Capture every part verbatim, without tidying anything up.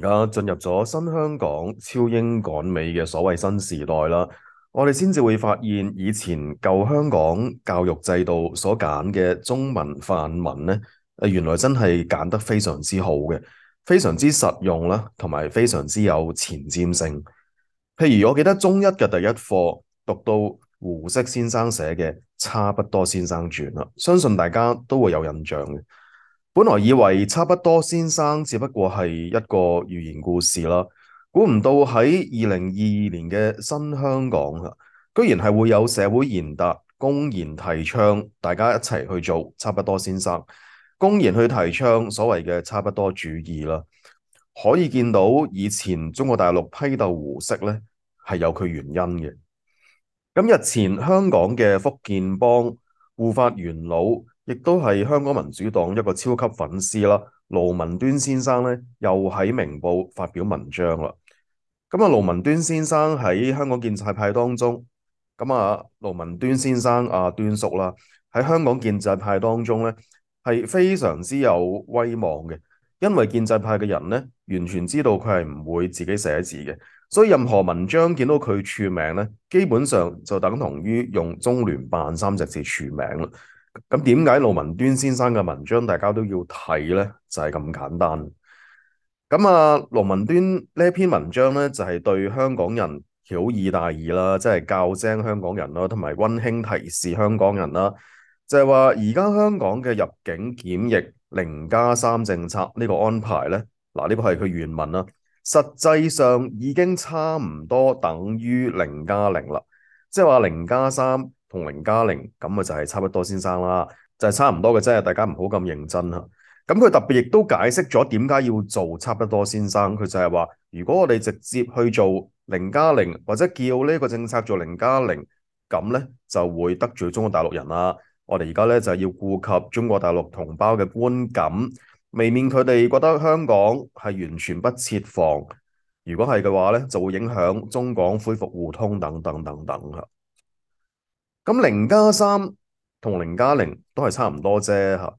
而家進入咗新香港超英趕美嘅所謂新時代啦，我哋先至會發現以前舊香港教育制度所揀嘅中文範文咧，誒原來真係揀得非常之好嘅，非常之實用啦，同埋非常之有前瞻性。譬如我記得中一嘅第一課讀到胡適先生寫嘅《差不多先生傳》啦，相信大家都會有印象嘅。本來以為差不多先生只不過係一個寓言故事啦，估唔到喺二零二二年嘅新香港啊，居然係會有社會賢達公然提倡大家一齊去做差不多先生，公然去提倡所謂嘅差不多主義啦。可以見到以前中國大陸批鬥胡適呢係有佢原因嘅。咁日前香港嘅福建幫護法元老，亦都係香港民主黨一個超級粉絲啦。盧文端先生咧，又喺明報發表文章啦。咁啊，盧文端先生喺香港建制派當中，咁啊，盧文端先生啊，端叔啦，喺香港建制派當中咧，係非常之有威望嘅。因為建制派嘅人咧，完全知道佢係唔會自己寫字嘅，所以任何文章見到佢署名咧，基本上就等同於用中聯辦三隻字署名啦。咁點解盧文端先生嘅文章大家都要睇呢？就係咁簡單。咁啊，盧文端呢一篇文章呢，就係對香港人曉以大義啦，即係教精香港人啦，同埋溫馨提示香港人啦，就係話而家香港嘅入境檢疫零加三政策呢個安排呢，嗱，呢個係佢原文啦，實際上已經差唔多等於零加零啦，即係話零加三。同零加零咁啊，就係差不多先生啦，就係差唔多嘅啫。大家唔好咁認真嚇。咁佢特別亦都解釋咗點解要做差不多先生。佢就係話，如果我哋直接去做零加零，或者叫呢個政策做零加零，咁咧就會得罪中國大陸人啦。我哋而家咧就係要顧及中國大陸同胞嘅觀感，未免佢哋覺得香港係完全不設防。如果係嘅話咧，就會影響中港恢復互通等等等等嚇。咁零加三同零加零都係差唔多啫嚇。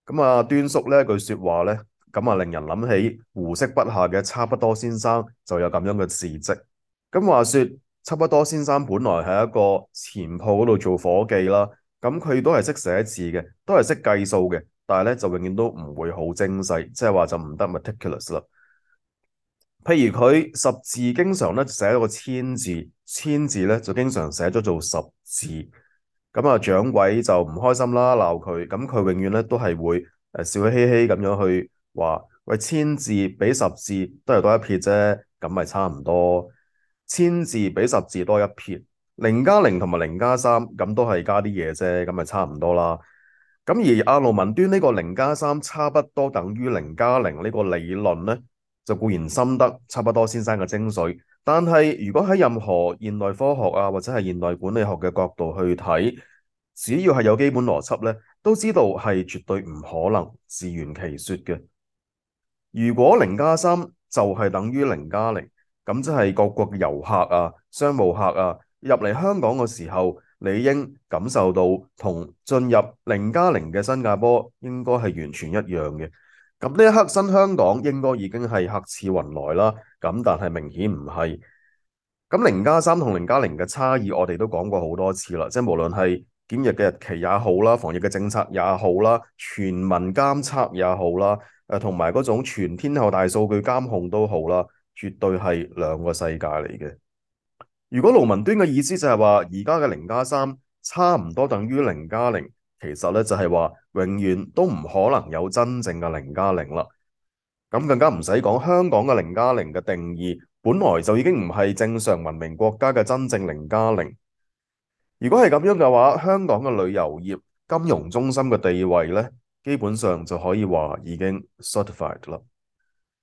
咁啊，端叔呢句説話咧，咁啊令人諗起胡適筆下嘅差不多先生就有咁樣嘅事蹟。咁話説差不多先生本來係一個錢鋪嗰度做伙計啦，咁佢都係識寫字嘅，都係識計數嘅，但係咧就永遠都唔會好精細，即係話就唔得 meticulous 啦。譬如佢十字經常咧寫咗個千字，千字咧就經常寫咗做十字，咁啊掌櫃就唔開心啦，鬧佢，咁佢永遠咧都係會誒笑嘻嘻咁樣去話，喂，千字比十字都係多一撇啫，咁咪差唔多，千字比十字多一撇，零加零同埋零加三咁都係加啲嘢啫，咁咪差唔多啦。咁而阿盧文端呢個零加三差不多等於零加零呢個理論咧，就固然深得差不多先生嘅精髓，但係如果喺任何現代科學啊或者係現代管理學嘅角度去睇，只要係有基本邏輯咧，都知道係絕對唔可能自圓其說嘅。如果零加三就係等於零加零，咁即係各國嘅遊客啊、商務客啊入嚟香港嘅時候，理應感受到同進入零加零嘅新加坡應該係完全一樣嘅。咁呢一刻新香港應該已經係客似雲來啦，咁但係明顯唔係。咁零加三同零加零嘅差異，我哋都講過好多次啦，即係無論係檢疫嘅日期也好啦，防疫嘅政策也好啦，全民監測也好啦，誒同埋嗰種全天候大數據監控都好啦，絕對係兩個世界嚟嘅。如果盧文端嘅意思就係話，而家嘅零加三差唔多等於零加零，其實咧就係話永遠都唔可能有真正嘅零加零啦。咁更加唔使講，香港嘅零加零嘅定義本來就已經唔係正常文明國家嘅真正零加零。如果係咁樣嘅話，香港嘅旅遊業、金融中心嘅地位咧，基本上就可以話已經 certified 啦。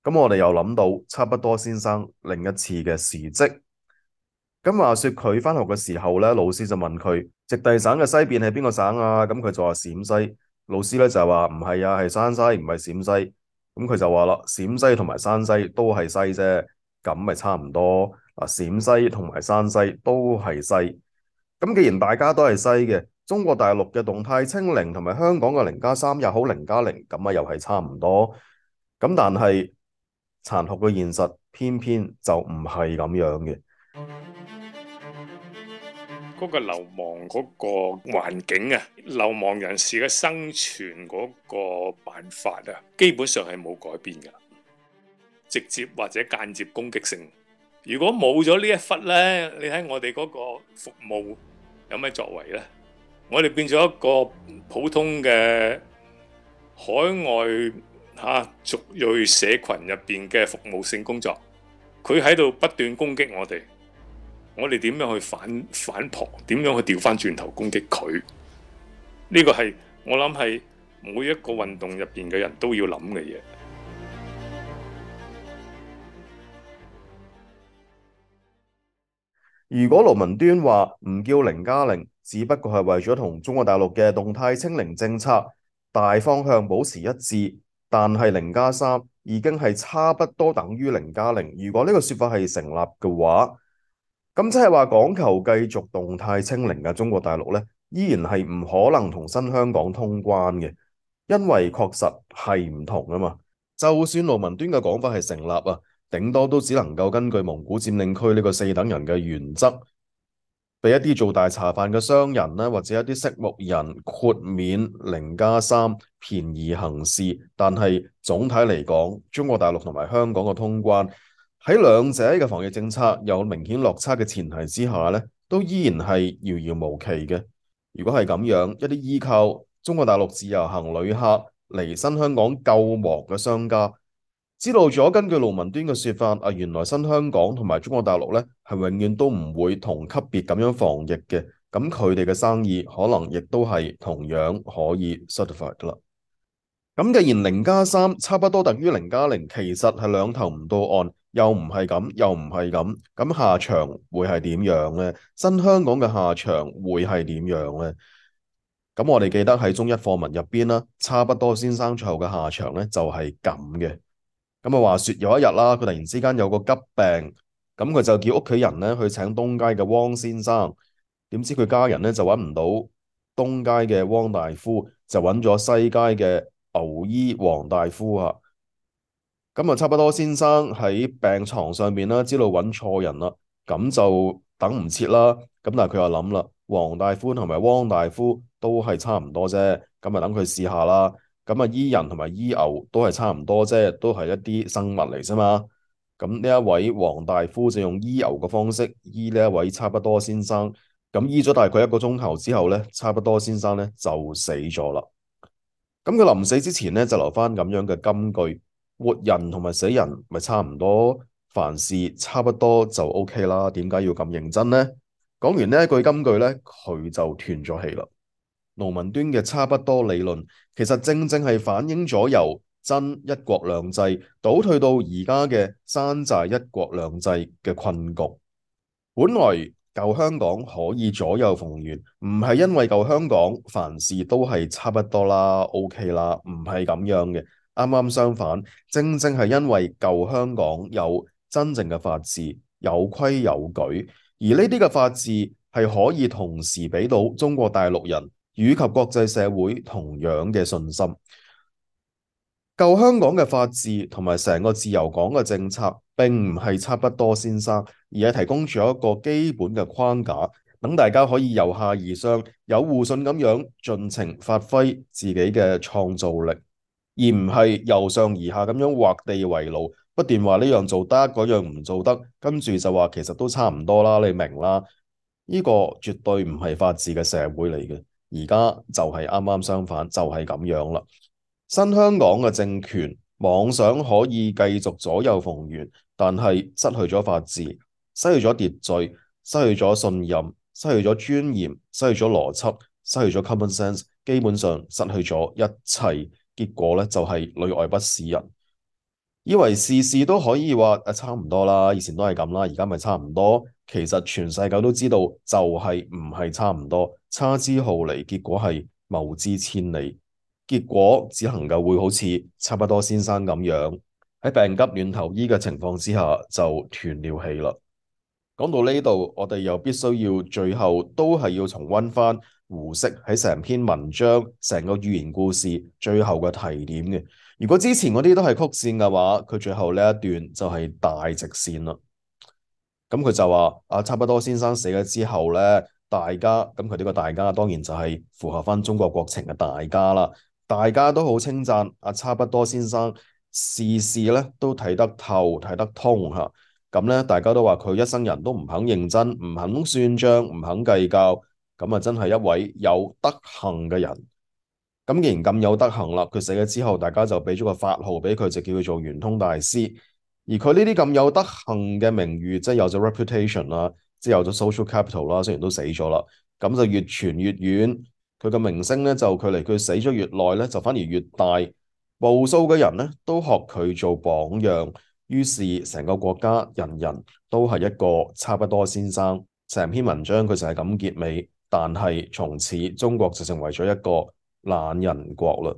咁我哋又諗到差不多先生另一次嘅事蹟。咁話說佢返學嘅時候咧，老師就問佢直隸省嘅西邊係邊個省啊？咁佢就話陝西。老師咧就話唔係啊，係山西，唔係陝西。咁佢就話啦，陝西同埋山西都係西啫，咁咪差唔多。嗱，陝西同埋山西都係西。咁既然大家都係西嘅，中國大陸嘅動態清零同埋香港嘅零加三又好零加零，咁啊又係差唔多。咁但係殘酷嘅現實偏偏就唔係咁樣嘅。嗰個流亡嗰個環境啊，流亡人士嘅生存嗰個辦法啊，基本上係冇改變㗎，直接或者間接攻擊性。如果冇咗呢一忽呢，你睇我哋嗰個服務有咩作為呢？我哋變咗一個普通嘅海外嚇族裔社群入邊嘅服務性工作，佢喺度不斷攻擊我哋。我哋點樣去反反撲？點樣去調翻轉頭攻擊佢？呢個係我諗係每一個運動入邊嘅人都要諗嘅嘢。如果盧文端話唔叫零加零，只不過係為咗同中國大陸嘅動態清零政策大方向保持一致，但係零加三已經係差不多等於零加零。如果呢個說法係成立嘅話，咁即係話講求繼續動態清零嘅中國大陸呢，依然係唔可能同新香港通關嘅，因為確實係唔同啊嘛。就算盧文端嘅講法係成立啊，頂多都只能夠根據蒙古佔領區呢個四等人嘅原則，俾一啲做大茶飯嘅商人啦，或者一啲色目人豁免零加三便宜行事。但係總體嚟講，中國大陸同埋香港嘅通關，喺兩者嘅防疫政策有明顯落差嘅前提之下咧，都依然係遙遙無期嘅。如果係咁樣，一啲依靠中國大陸自由行旅客嚟新香港救亡嘅商家，知道咗根據盧文端嘅說法，啊原來新香港同埋中國大陸咧係永遠都唔會同級別咁樣防疫嘅，咁佢哋嘅生意可能亦都係同樣可以 certify 噶啦。咁既然零加三差不多等於零加零，其實係兩頭唔到岸，又唔係咁，又唔係咁，咁下場會係點樣呢？新香港嘅下場會係點樣呢？咁我哋記得喺中一課文入邊啦，差不多先生最後嘅下場咧就係咁嘅。咁啊話說有一日啦，佢突然之間有個急病，咁佢就叫屋企人咧去請東街嘅汪先生，點知佢家人咧就揾唔到東街嘅汪大夫，就揾咗西街嘅牛醫黃大夫啊。咁啊差不多先生喺病床上面啦，知道揾錯人啦，咁就等唔切啦。咁但係佢又諗啦，黃大夫同埋汪大夫都係差唔多啫，咁啊等佢試下啦。咁啊醫人同埋醫牛都係差唔多啫，都係一啲生物嚟啫嘛。咁呢一位黃大夫就用醫牛嘅方式醫呢一位差不多先生，咁醫咗大概一個鐘頭之後咧，差不多先生咧就死咗啦。咁佢臨死之前咧就留翻咁樣嘅金句：活人同埋死人咪差唔多，凡事差不多就 OK 啦，點解要咁認真呢？講完呢一句金句咧，佢就斷咗氣啦。盧文端嘅差不多理論，其實正正係反映咗由真一國兩制倒退到而家嘅山寨一國兩制嘅困局。本來舊香港可以左右逢源，唔係因為舊香港凡事都係差不多啦 OK 啦，唔係咁樣嘅。啱啱相反，正正係因為舊香港有真正嘅法治，有規有矩，而呢啲嘅法治係可以同時俾到中國大陸人以及國際社會同樣嘅信心。舊香港嘅法治同埋成個自由港嘅政策，並唔係差不多先生，而係提供咗一個基本嘅框架，等大家可以由下而上，有互信咁樣盡情發揮自己嘅創造力，而唔係由上而下咁樣畫地為牢，不斷話呢樣做得，嗰樣唔做得，跟住就話其實都差唔多啦，你明啦？呢個絕對唔係法治嘅社會嚟嘅，而家就係啱啱相反，就係咁樣啦。新香港嘅政權妄想可以繼續左右逢源，但係失去咗法治，失去咗秩序，失去咗信任，失去咗尊嚴，失去咗邏輯，失去咗 common sense， 基本上失去咗一切。結果咧就係裏外不是人，以為事事都可以話誒差唔多啦，以前都係咁啦，而家咪差唔多。其實全世界都知道就係唔係差唔多，差之毫厘，結果係謬之千里。結果只能夠會好似差不多先生咁樣，喺病急亂投醫嘅情況之下就斷了氣啦。講到呢度，我哋又必須要最後都係要重溫翻胡適喺成篇文章、成個寓言故事最後嘅提點嘅。如果之前嗰啲都係曲線嘅話，佢最後呢一段就係大直線啦。咁佢就話啊，差不多先生死咗之後咧，大家咁佢呢個大家當然就係符合翻中國國情嘅大家啦。大家都好稱讚阿差不多先生，事事咧都睇得透、睇得通嚇。咁咧，大家都話佢一生人都唔肯認真、唔肯算賬、唔肯計較，咁啊真係一位有德行嘅人。咁既然咁有德行啦，佢死咗之後，大家就俾咗個法號俾佢，就叫佢做圓通大師。而佢呢啲咁有德行嘅名譽，即係有咗 reputation 啦，即係有咗 social capital 啦，雖然都死咗啦，咁就越傳越遠。佢嘅名聲咧就距離佢死咗越耐咧，就反而越大。無數嘅人咧都學佢做榜樣，於是成個國家人人都係一個差不多先生。成篇文章佢就係咁結尾，但係從此中國就成為咗一個懶人國啦。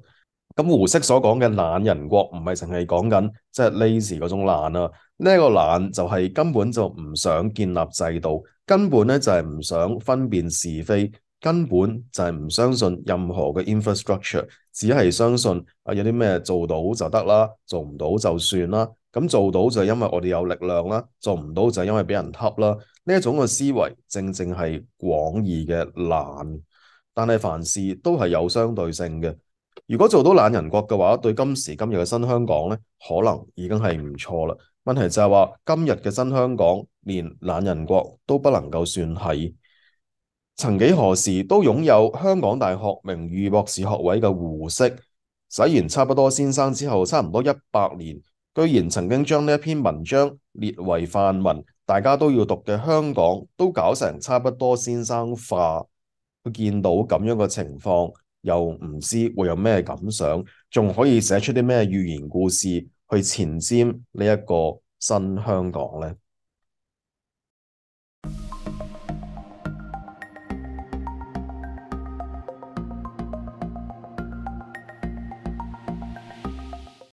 咁胡適所講嘅懶人國唔係淨係講緊即係 lazy 嗰種懶啊，呢、這、一個懶就係根本就唔想建立制度，根本咧就係唔想分辨是非，根本就係唔相信任何嘅 infrastructure，只係相信啊有啲咩做到就得啦，做唔到就算啦。咁做到就係因為我哋有力量啦，做唔到就係因為俾人恰啦。呢一種嘅思維正正係廣義嘅懶，但係凡事都係有相對性嘅。如果做到懶人國嘅話，對今時今日嘅新香港咧，可能已經係唔錯啦。問題就係話，今日嘅新香港連懶人國都不能夠算係。曾幾何時都擁有香港大學名譽博士學位嘅胡適，洗完差不多先生之後，差唔多一百年，居然曾經將呢一篇文章列為範文，大家都要讀嘅香港，都搞成差不多先生化。佢見到咁樣嘅情況，又唔知會有咩感想，仲可以寫出啲咩寓言故事去前瞻呢一個新香港呢？